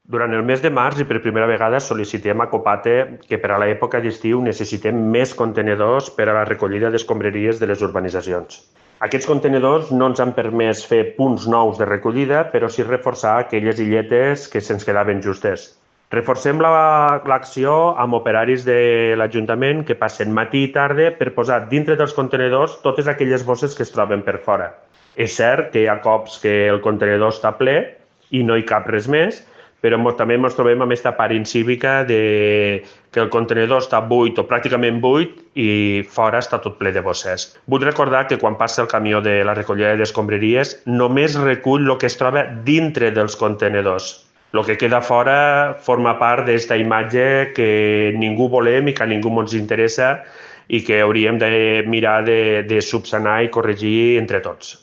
Durant el mes de març i per primera vegada sol·licitem a Copate que per a l'època d'estiu necessitem més contenidors per a la recollida d'escombraries de les urbanitzacions. Aquests contenidors no ens han permès fer punts nous de recollida, però sí reforçar aquelles illetes que se'ns quedaven justes. Reforcem l'acció amb operaris de l'Ajuntament que passen matí i tarda per posar dintre dels contenidors totes aquelles bosses que es troben per fora. És cert que hi ha cops que el contenidor està ple i no hi cap res més, però també ens trobem amb aquesta part incívica que el contenidor està buit o pràcticament buit i fora està tot ple de bosses. Vull recordar que quan passa el camió de la recollida d'escombraries només recull el que es troba dintre dels contenidors. El que queda fora forma part d'aquesta imatge que ningú volem i que a ningú ens interessa i que hauríem de mirar de subsanar i corregir entre tots.